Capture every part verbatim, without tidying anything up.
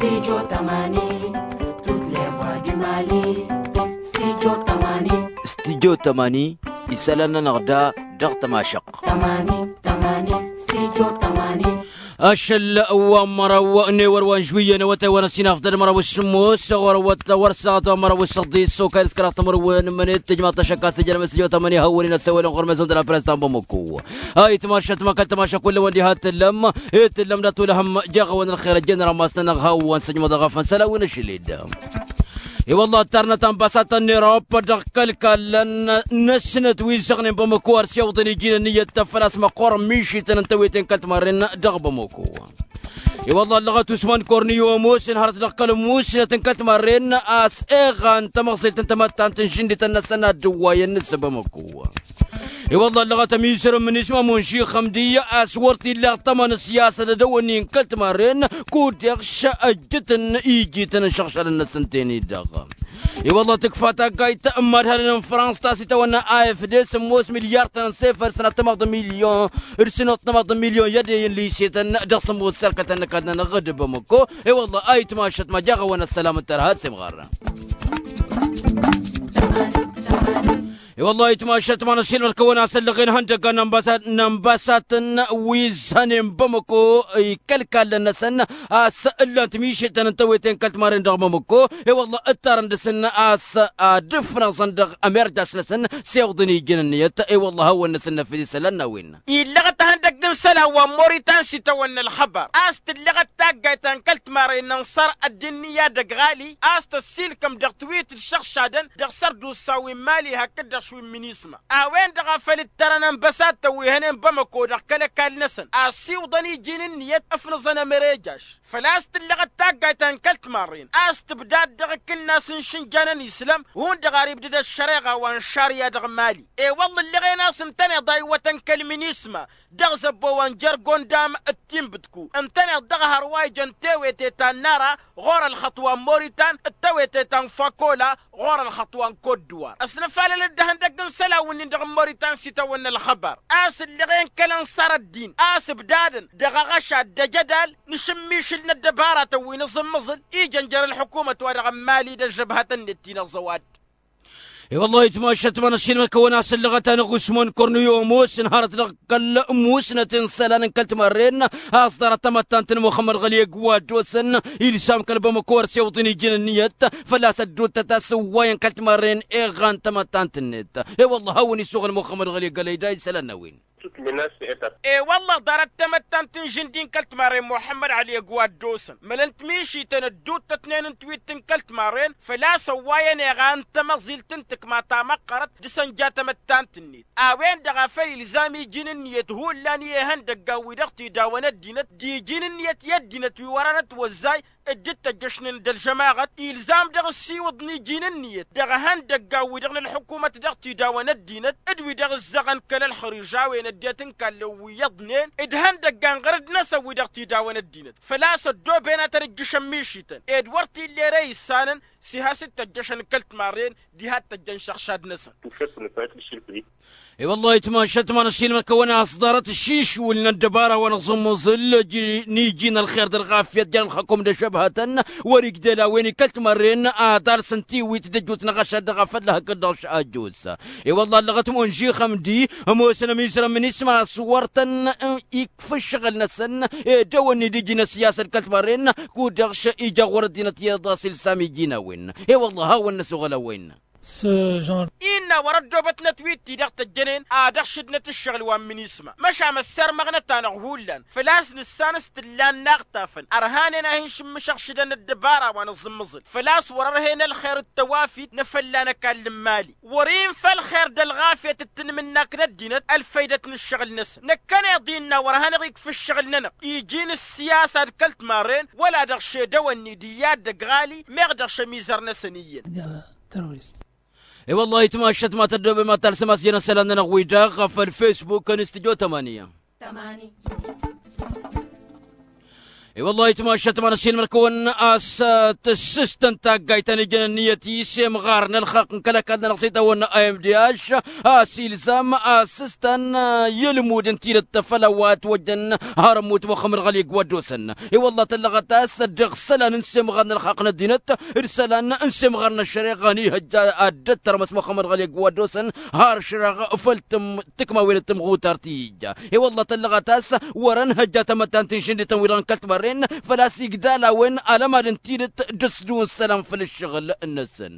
Studio tămani. Tut levwa du mali. Studio tămani. Studio tămani. Isălan-nănăɣ da dăɣ-tămašăɣt. Tămani tămani. Studio tămani. Ašăl wa n-măraw n-ewăr wa n-žwiyyăn awătay wa n-ăsinaf d-ad-măraw s-sǝmmos ɣur-awăt wăr s-aɣăt wa n-măraw s-săḍis okayăn s-kăraɣ tămărwen mănet tǝjmaḍ-t ašăk a-s ǝjănăm s-ijot amăni hawăn-in ăssewălăn ɣur-mezon d-la press ta n-bamăko. Ayǝtmašat ma kăl-tămaša kull-awăn diha t-tǝllăm. Itǝllăm d-ad-tolăhăm jeɣ-awăn ălxer ăjjeen rămas-nănăɣ hawăn-sǝjmăḍ aɣăfăn săl-a-wen ašăl-dd. I-wălla ǝttarnăt anbasatăn n-erop dăɣ-kăl-ikallăn n-ăsnăt wi ǝzzăɣnen bamăko ar s-iwǝḍăn iji n-ǝnniyăt făl-a-s măqqoorăn mišităn n-tewete n-kăl-timarren dăɣ-bamăko. I-wălla ăllăɣăt usman korniyo ămoosăn hărăt dăɣ-kăl-musnăt n-kăl-timarren a-s eɣa n-tamăẓilt n-tamăttant n-žǝndităn-năsăn ad-dd-ǝwwayăn s-bamăko. I-wălla ăllăɣăt ămizăr n-imǝnisma munši xămdi a-s wăr t-illa iṭṭăma n-ăssiyasăt d-edăwănni n-kăl-timarren kud-dăɣ š-ăjjǝtăn ijităn n-išăɣšalăn-năsăn teni-dăɣ. I-wălla tǝkfa taggayt n-imadhalăn n-frans ta s-itawănna a f d s ămoos milyar-tăn n-sefăr sănatămaḍ milyon d-sănatămaḍ milyon i-ad-eyǝn lisetăn dăɣ-sămoos serkătăn n-ăkall-nănăɣ d-bamăko. I-wălla a itmašăt ma jaɣ-awăn ăssălam n-tărha s-imɣarrăn. I-wălla a itmašăt ma n-ăssiilmăd kăwăn-asăllăɣen ihăndăggan n-anbasatăn wi ǝzzănen bamăko ikăl-ikallăn-năsăn a-s ǝllan-t mišităn n-tewete n-kăl-timarren dăɣ-bamăko. I-wălla ǝttarăn dăɣ-săn a-s ad-ǝfnăẓăn dăɣ-ămerjaš-năsăn s-iwǝḍăn iji n-ǝnniyăt. I-wălla hawăn-năsăn năfăd isălan n-a-wen. Illăɣăt ihăndăgg n-isălan wa n-moritan s-itawănna ălxăbar a-s tǝllăɣăt taggayt ta n-kăl-timarren n-ănṣăr ăddin n-iyyăd ăgg ɣali a-s tăssiilkăm dăɣ-tǝwit d-išăɣšadăn dăɣ-săr d-usawi n-mali hakd-dăɣ šwi n-minisma a-wen-dăɣ a făl ǝttărăn ănbăsatăn wi hănen bamăko dăɣ-kăl-ăkall-năsăn a ăssiwǝḍăn iji n-ǝnniyăt ǝfnǝẓăn ămărejaš. Făl-a-s tǝllăɣăt taggayt ta n-kăl-timarren a-s tǝbdad dăɣ-akǝnnas n-išǝnja n-ăniislăm hundăɣ ar ibdǝd ăššăreɣa wa n-šarya dăɣ-mali. I-wălla ǝllăɣen a-s ǝntăneḍ a iwwătăn kăl-minisma dăɣ-zăbbo wa n-jer-gondam d-tinbǝtku ǝntăneḍ dăɣ-hărwa ijăn tewete ta n-nara ɣur-ălxăṭṭ wa n-moritan d-tewete ta n-fakola ɣur-ălxăṭṭ wa n-kot-dǝwar. Ăsnăfalăl-dd ihăndăgg n-isălan-win-dăɣ n-moritan s-itawănna ălxăbar a-s ǝllăɣen kăl-ănṣăr ăddin a-s ǝbdadăn dăɣ-aɣăšad d-ejădal n-ašǝmmišǝl n-ăddăbaratăn wi n-aẓǝmmăẓǝl ijăn jer-ălḥukumăt-wa-dăɣ n-mali d-ăžžăbhătăn-net ti n-aẓăwad. I-wăllah itmašăt ma n-ăssiilmăd-kăwăn a-s ăllăɣăt-anăɣ usman korniyo ămoosăn hărăt dăɣ-kăl-musnăt n-isălan n-kăl-timarren a-s ḍarăt tamăttant n-muxămmăd ɣăli ăgg wa dd-osăn ilsam kăl-bamăko ar s-iwǝḍăn iji n-ǝnniyăt făl-a-s ăddootăt a-s ǝwwayăn kăl-timarren iɣan tamăttant-net. I-wăllah hawăn-isuɣǝl muxămmăd ɣăli ăgg ălăyda isălan n-a-wen. E-wălla-ɣ ḍarăt tamăttant n-žǝndi n-kăl-timarren muḥămmăd ăli ăgg wa dd-osăn mălăn timišităn ădduuttătnen n-twitt n-kăl-timarren făl-a-s ăwwayăn eɣa n-tamăẓilt n-tǝkma ta măqqărăt dăɣ-săn ja tamăttant-net a-wen-dăɣ a făl ilzam iji n-ǝnniyăt hullan i-ihăndăggan wi dăɣ-t idawăn ăddinăt d-iji n-ǝnniyăt i-ăddinăt wi wăr-anătwăzzay dd-tăjjăšnen d-ălžămaɣăt ilzam dăɣ-ǝssiwǝḍ n-iji n-ǝnniyăt dăɣ-ihăndăggan-wi-dăɣ n-ălḥukumăt dăɣ-t-idawăn ăddinăt d-wi-dăɣ ǝzzăɣăn kăl-ălxărižawen ăddinăt n-kallăn wi iyyăḍnen d-ihăndăggan ɣărăd-năsăn wi dăɣ-t idawăn ăddinăt făl-a-s ăddooben ad-tăn-ǝjjǝšăn mišităn ed wăr t-illa ere issanăn s-iha s-dd-tăjjăšăn kăl-timarren diha d-tăjjăn šăɣšad-năsăn. I-wăllah itmašăt ma n-ăssiilmăd-kăwăn a-s ḍarăt ǝššišwǝl n-ăddăbara wa n-aẓǝmmăẓǝl n-iji n-ălxer d-ălɣafyăt jer-ălxăkum d-ăššăbhătăn wăr-igdel a-wen ikăl-timărren ad-alsăn tiwit d-ăjut n-aɣăšad dăɣ-afălla hakd-dăɣ š-ajus. I-wăllah ăllăɣăt munži xămdi ămoosăn ămizărăn mǝnisma a-s wăr tăn-ikf ǝššăɣǝl-năsăn ed ewănni d-iji n-ăssiyasăt kăl-timărren kud-dăɣ š-ija ɣur-ăddinăt iyyăḍ a-s ilsam iji n-a-wen. I-wăllah hawăn-năsuɣǝl a-wen. Innă wăr-ăddoobătnăt wi t-i-dăɣ tăjjănen ad-ăɣšǝdnăt ǝššăɣǝl wa n-minisma măšan ăssărmăɣnăt-anăɣ hullan făl-a-s nǝssan s-t-ǝllan n-aɣtafăn ărhanen a hin-šǝmmǝšăɣšǝdăn ăddăbara wa n-aẓǝmmăẓǝl făl-a-s wăr-ărhen ălxer d-tawafit n-efălla n-ăkall n-imali wăr-infa ălxer d-ălɣafyăt d-tanmǝnnakt n-ăddinăt ălfăydăt n-ǝššăɣǝl-năsăn năkkăneḍ innă wăr hanăɣ-ikf ǝššăɣǝl-nănăɣ iji n-ǝssiyasa d-kăl-timarren wăla dăɣ-ši d-ewănni d-iyyăt d-ăgg ɣali meɣ dăɣ-ši ămizăr-năsăn iyyăn. I-wăllah itmašăt ma tăddoobem ad-talsăm a-s jăn isălan-nănăɣ-wi-dăɣ ɣef ălfesbuk n-studyo tămănǝya. I-wăllah itmašat ma n-asilmăr-kăwăn a-s tǝssǝstăn taggayt ta n-ijăn ǝnniyăt i-semɣar n-ălxaqq n-kăl-ăkall-nănăɣ s-itawănna a m d h a-s ilzam a-s ǝstăn i-ălmud n-tidǝt făll-a-wa ătwăjjăn har ămmut măxămmăd ɣăli ǝgg wa dd-osăn. I-wăllah tăllăɣăt a-s dăɣ-isălan n-semɣar n-ălxaqq n-ăddinăt d-isălan n-semɣar n-ăššăreɣa n-ihăjja ad-dd-tărmăs măxămmăd ɣăli ǝgg wa dd-osăn har šăreɣ făll-tǝm tǝkmawen d-tǝmɣutart i-ija. I-wălla tăllăɣăt a-s wăr-ănhăjja tamăttant n-išǝndităn wi-dăɣ n-kăl-timarren făl-a-s igdal a-wen alămad n-tidǝt d-ăsdǝw n-isălan făll-ǝššăɣǝl-năsăn.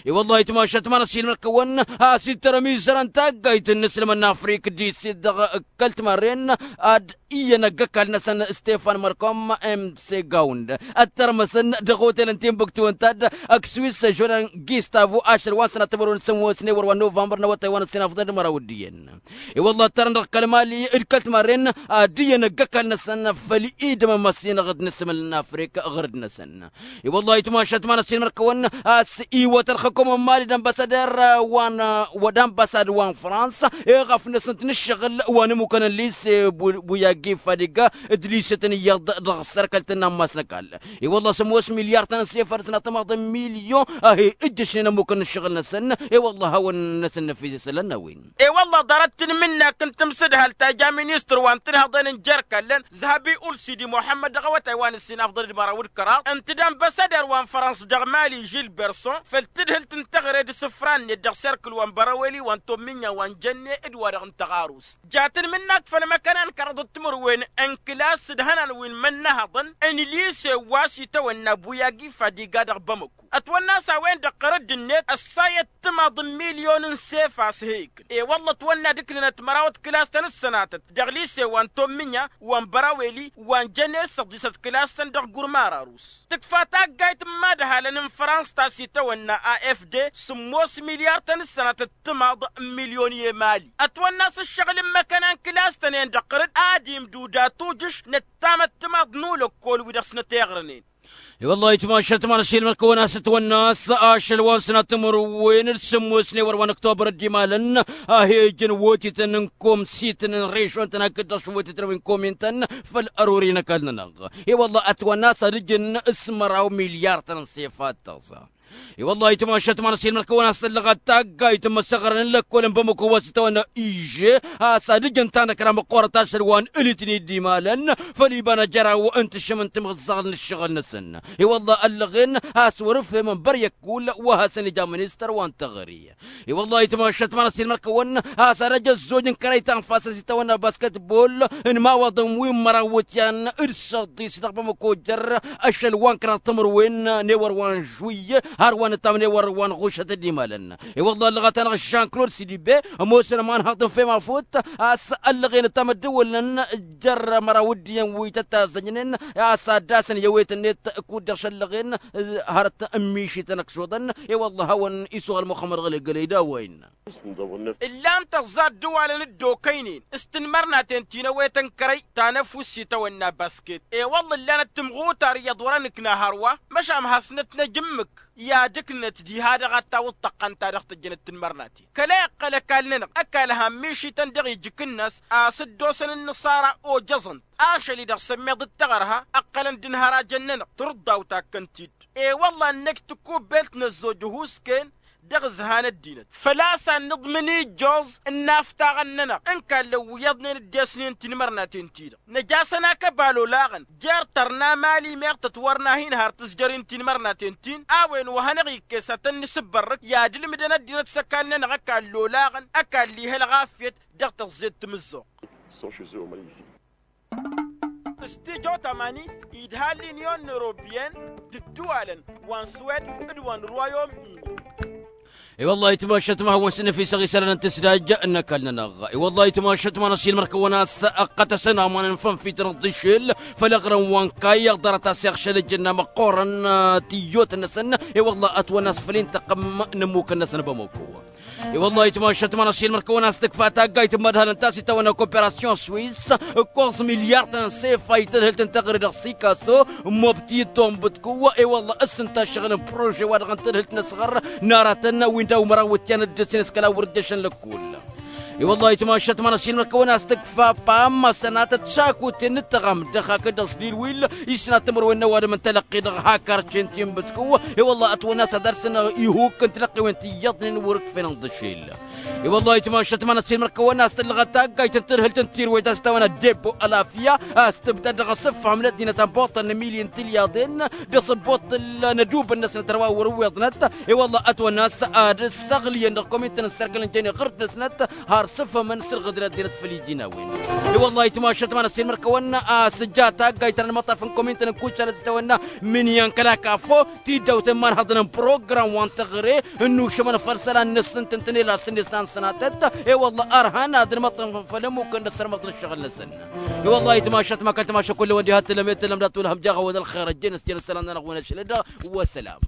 I-wălla itmašat ma n-asilmăr-kăwăn a-s ittărăm izărăn taggayt n-inǝslǝmăn n-afrik d-isit dăɣ-kăl-timarren ad-iyyăn ăgg-ăkall-năsăn stefan mărkom m s gawnd ăttărmăsăn dăɣ-otel n-timbuktu ǝnta-dd ăkk swis žolan gistavo ašăl wa n-sănat timărwen s-ămoosne wăr wa n-novămbăr n-awătay wa n-ăssinafḍăn d-măraw d-iyyăn. I-wălla ăttărăn dăɣ-kăl-mali d-kăl-timarren ad-iyyăn ăgg-ăkall-năsăn făll-idăm n-măssinăɣ d-inǝsmǝl n-afrik ɣǝrǝd-năsăn. I-wălla itmašat ma n-asilmăr-kăwăn a-s iwăt ălxăkom n-mali d-ănbăssader wa n-wa d-ănbăssad wa n-frans eɣăf-năsăn-t n-ǝššăɣǝl wa n-ămmukăn n-lise buyagi fadiga d-lise-tăn iyyăḍ dăɣ-sărkăl-tăn n-ammas n-ăkall. I-wălla sămoos milyar-tăn n-sefăr s-nătămaḍ n-milyon a he-ǝjjăšnen ămmukăn n-ǝššăɣǝl-năsăn. I-wălla a hawăn-năsăn năfis isălan n-a-wen. I-wălla ḍarăt-tǝnmǝnnak n-tamsǝdhalt ta ja ministăr wa n-tinhăḍen n-jer-ikallăn zăhăbi ulsidi muḥămmăd dăɣ-awătay wa n-ǝssin afḍăn d-măraw d-kăraḍ ǝnta d-ănbăssăder wa n-frans dăɣ-mali žilberson făll-tǝdhǝlt n-teɣăre d-isǝfra-net dăɣ-serkǝl wa n-bărăweli wa n-tomminya wa n-jănne d-wa-dăɣ n-tăɣarust. Ja tǝnmǝnnak făll-măkăna n-kăraḍăt timǝrwen n-kǝlas d-ihănan wi n-imǝnnăhăḍăn n-lise wa s-itawănna buyagi fadiga dăɣ-bamăko ătwănna a-s a-wen-dăɣ ɣărădd-net ăssayăt timaḍ n-milyon n-sefa a-s he-ikǝn. I-wălla ătwănna d-ǝknǝnăt măraw d-kǝlas-tăn d-sănatăt dăɣ-lise wa n-tomminya wa n-băraweli wa n-jăner s-ăḍḍisăt kǝlas-tăn dăɣ-gurmar arus. Tǝkfa taggayt n-imadhalăn n-frans ta s-itawănna a f d sǝmmos milyar-tăn d-sănatăt timaḍ n-milyon i-emali ătwănna a-s ǝššăɣǝl n-imăkăna n-kǝlas-tăn-en dăɣ-tărǝd ad-imdud atujǝš n-ăttamăt timaḍ n-ulăkkol wi dăɣ-snăt iɣrănen. I-wăllah itmašat ma n-asilmăr-kăwăn a-s ătwănna a-s ašăl wa n-sănat timǝrwen d-sǝmmosne wăr wa n-ăktobăr dd-imalăn a he-ǝjǝn wotităn n-komsităn n-režon-tăn hakd-dăɣ šwotităn wi n-komin-tăn făll-ărori n-ăkall-nănăɣ. I-wăllah ătwănna a-s ad-ǝjǝn s-măraw milyar-tăn n-sefat tăẓa. I-wăllah itmašat ma n-asilmăr-kăwăn a-s tăllăɣăt taggayt n-imǝssăɣrăn n-lăkkol n-bamăko wa s-itawănna iže a-s ad-ǝjǝn tanăkra măqqoorăt ašăl wa n-ǝlitni dd-imalăn făll-iba n-ajăraw n-tǝššǝm n-timǝẓẓaɣt n-ǝššăɣǝl-năsăn. I-wălla ăllăɣen a-s wăr-ǝfhemăn băryăkkul wa hasăn-ija ministăr wa n-teɣăre. I-wălla itmašat ma n-asilmăr-kăwăn a-s ad-ăj ăzzoj n-kărăy ta n-fas a-s itawănna basketbol n-imawaḍăn wi n-măraw iwǝtyan d-săḍis dăɣ-bamăko jer-ašăl wa n-kăraḍ timǝrwen n-ewăr wa n-žuy har wa n-ǝttam n-ewăr wa n-ɣušăt dd-imalăn. I-wălla ăllăɣăt-anăɣ žan-klod sidibe ămoosăn ămanhăḍ n-femafut a-s ăllăɣen ǝttam ăddǝwǝlnăn jer-măraw d-iyyăn wi tăt-azzăjnen a-s ad-dd-asăn i-ewet-net kud-dăɣ šăllăɣen hărăt n-mišităn ăkšuḍăn. I-wălla a hawăn-isuɣăl muxămmăd ɣăli gălăy d-a-wa innă. Ǝllan-tăẓẓa ăddǝwalăn dd-okăynen s-tinmărnaten ti n-ewetăn kărăy ta n-ăfuss itawănna basket i-wălla ǝllanăt timɣutar iyyăḍ wăr-ănǝkna hărwa măšan hasnăt-năj ǝmmǝk i-ad-ǝknăt diha-dăɣ ad-tawǝḍ tăqqăn ta dăɣ-tăjjănăt tinmărnaten kăla iqqăl ăkall-nănăɣ ăkall han mišităn dăɣ-ijǝk-năs a-s dd-osăn ǝnnǝṣara ojăẓăn-t ašăl-i-dăɣ sămmeḍ d-taɣărha ǝqqălăn d-inhărajăn-nănăɣ tǝrǝḍḍaw takkăn-t-dd. I-wălla ǝnnăj tǝkkubbelt n-ăzzoj ăhuusken dăɣ-ǝzha n-ăddinăt făl-a-s ad-nǝḍmǝn ijjoẓ n-inaftaɣăn-nănăɣ n-kallăn wi iyyăḍnen dd-esnen tinmărnaten-ti-dăɣ năj'-asăn akăbal olaɣăn jer-tărna mali meɣ tătwărna hin-har tǝzjăr-in tinmărnaten-tin a-wen wa hanăɣ-ikkes ad-tăn-nǝsǝbbărrǝk i-ad-ǝlmǝdăn ăddinăt s-ăkall-nănăɣ ăkall olaɣăn ăkall iha ălɣafyăt dăɣ-tăẓẓet timǝzzuɣt. S-tijo tamani idha l-inyon n-europyen d-ǝddǝwalăn wa n-swed d-wa n-royaume-ini. I-wăllah itmašat ma hawăn-săn năfisăɣ isălan n-tǝsdaj n-ăkall-nănăɣ. I-wăllah itmašat ma n-asilmăr-kăwăn a-s ăqqătăsăn aman n-fănfităn ăḍḍišel făll-aɣrǝm wa n-kayy ăḍarăt a-s iɣšăl ǝjǝnna măqqoorăn tiyyot-năsăn. I-wăllah ătwănna a-s făll-intăqqăm n-ămmukăn-năsăn bamăko. I-wăllah itmašat ma n-asilmăr-kăwăn a-s tǝkfa taggayt n-imădhalăn ta s-itawănna koperasyon swis ǝkkoẓ milyar-tăn n-sefa i-tadhǝlt n-teɣăre dăɣ-sikaso. Mobti d-tombǝtku i-wăllah ǝssǝnta ǝššăɣǝl n-prože-wa-dăɣ n-tadhǝlt n-asɣăr n-aratăn wi n-daw-măraw iwǝtyan dd-ǝssin s-kăla wăr ǝjjăšăn lăkkul. I-wăllah itmašat ma n-asilmăr kăwăn-as tǝkfa pamma sănatăt šakuten n-ǝttăɣam dăɣ-hakd ăšlil wi-dd isnat timǝrwen n-ăwadǝm n-talăqqi dăɣ-hakar cen ti n-bǝtkǝw. I-wăllah ătwănna a-s ad-arsăn ihuk n-tilăqqiwen ti iyyăḍnen wăr-ǝkfenăn d-ašel. I-wăllah itmašat ma n-asilmăr kăwăn-as tǝllăɣăt taggayt n-tǝrhǝlt n-tirwet a-s tawănna debbo ălafya a-s tǝbdad dăɣ-asǝfham n-ăddinăt ănbuṭṭăn n-emilyen tilyaḍen d-asǝbbuṭṭǝl n-ădubǝn-năsnăt ărwa wăr-ǝwweḍnăt. I-wăllah ătwănna a-s ad-ǝssăɣlǝyăn dăɣ-komintăn n-sărkăl n-jăyne ɣǝrd-năsnăt har s-ǝfhămăn s-ǝlɣǝd n-ăddinăt făll-iji n-a-wen. I-wăllah itmašat ma n-asilmăr kăwăn-as ǝjja taggayt ta n-ălmăṭṭaf n-komintăn n-kuccal a-s tawănna mǝnyan kăla kafo tidawt n-imanhăḍăn n-program wa n-teɣăre ǝnnušămăn făll-isălan-năsăn tǝntǝne la s-tǝnne s-ta n-sănatăt. I-wăllah ărhan ad-ǝlmăṭṭăfăn făll-ămmukăn d-ăssărmăḍ n-ăššăɣǝl-năsăn. I-wăllah itmašat ma kăl-timaša kull-ewăn diha t-tǝllăm i-tǝllăm dat-tulhăm jaɣ-awăn ălxer ăjjeen s-ten ǝssălan-nănăɣ wi n-ašăl-dd. Wăssălam.